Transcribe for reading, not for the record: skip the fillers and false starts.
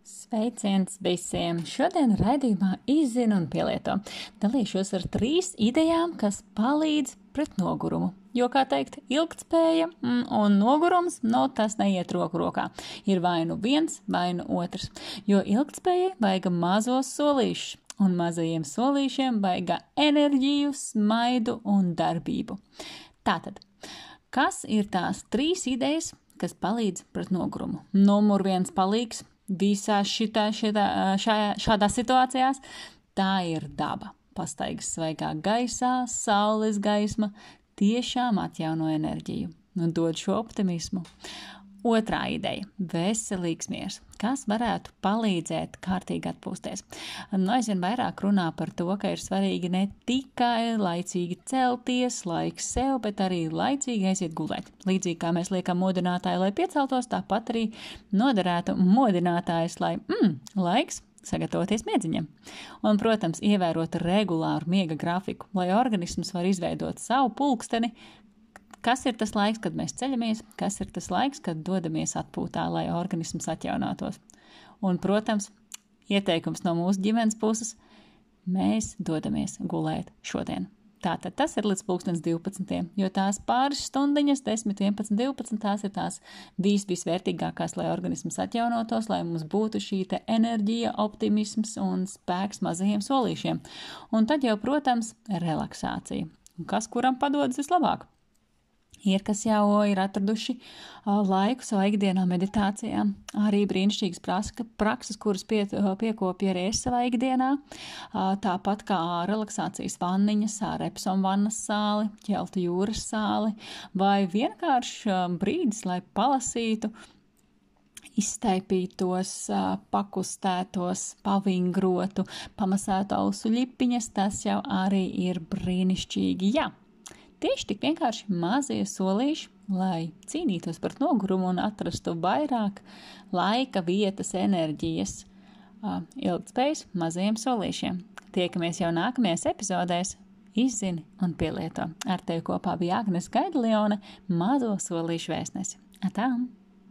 Sveiciens visiem! Šodien raidījumā izzina un pielieto. Dalīšos ar 3 idejām, kas palīdz pret nogurumu. Jo, kā teikt, ilgtspēja un nogurums, tas neiet roku rokā. Ir vai nu viens, vai nu otrs. Jo ilgtspējai vajag mazos solīšus, un mazajiem solīšiem vajag enerģiju, smaidu un darbību. Tātad, kas ir tās 3 idejas, kas palīdz pret nogurumu? Numur 1 palīgs visās šādās situācijās, tā ir daba. Pastaigas svaigā gaisā, saules gaisma tiešām atjauno enerģiju un dod šo optimismu. Otrā ideja – veselīgs miers, kas varētu palīdzēt kārtīgi atpūsties. Aizvien vairāk runā par to, ka ir svarīgi ne tikai laicīgi celties, laiks sev, bet arī laicīgi aiziet gulēt. Līdzīgi kā mēs liekam modinātāju, lai pieceltos, tāpat arī noderētu modinātājs, lai laiks sagatavoties miedziņam. Un, protams, ievērot regulāru miega grafiku, lai organisms var izveidot savu pulksteni. Kas ir tas laiks, kad mēs ceļamies, kas ir tas laiks, kad dodamies atpūtā, lai organisms atjaunotos. Un, protams, ieteikums no mūsu ģimenes puses – mēs dodamies gulēt šodien. Tātad tas ir līdz 12, jo tās pāris stundiņas, 10, 11, 12, tās ir tās visvērtīgākās, lai organisms atjaunotos, lai mums būtu šī te enerģija, optimisms un spēks mazajiem solīšiem. Un tad jau, protams, relaksācija. Kas kuram padodas vislabāk? Ir, kas jau ir atraduši laiku savā ikdienā meditācijā, arī brīnišķīgas prakses, kuras piekopja arī es savā ikdienā, tāpat kā relaksācijas vanniņas, Repsol vannas sāli, Ķeltu jūras sāli, vai vienkārši brīdis, lai palasītu, izstaipītos, pakustētos, pavingrotu, pamasētu ausu ļipiņas, tas jau arī ir brīnišķīgi, jā. Tieši tik vienkārši mazie solīši, lai cīnītos par nogurumu un atrastu vairāk laika, vietas, enerģijas, ilgtspējas mazajiem solīšiem. Tiekamies jau nākamajās epizodēs. Izzini un pielieto. Ar tevi kopā bija Agnese Gaidelione, mazo solīšu vēstnese. Atām!